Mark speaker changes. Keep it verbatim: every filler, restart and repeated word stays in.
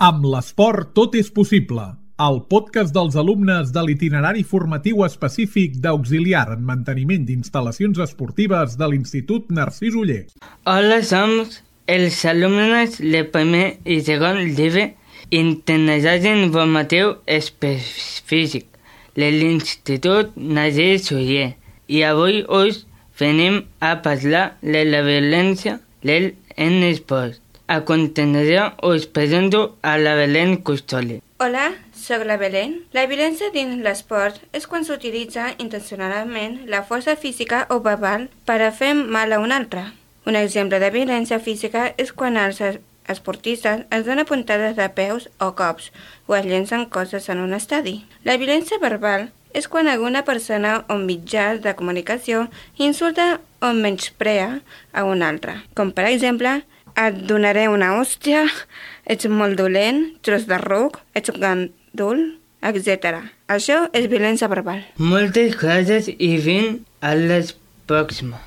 Speaker 1: Amb l'esport tot és possible. El podcast dels alumnes de l'itinerari formatiu específic d'auxiliar en manteniment d'instal·lacions esportives de l'Institut Narcís Oller.
Speaker 2: Hola, som els alumnes de primer i segon d'I B E Itinerari Informatiu Específic de l'Institut Narcís Oller i avui us venim a parlar de la violència en esport. A continuació us presento a la Belén Custoli.
Speaker 3: Hola, soc la Belén. La violència dins l'esport és quan s'utilitza intencionalment la força física o verbal per a fer mal a un altre. Un exemple de violència física és quan els esportistes es donen puntades de peus o cops o es llencen coses en un estadi. La violència verbal és quan alguna persona o mitjà de comunicació insulta o menysprea a un altre, com per exemple et donaré una hòstia, ets molt dolent, tros de ruc, ets un gandul, etcètera. Això és violència verbal.
Speaker 2: Moltes gràcies i fins a la pròxima.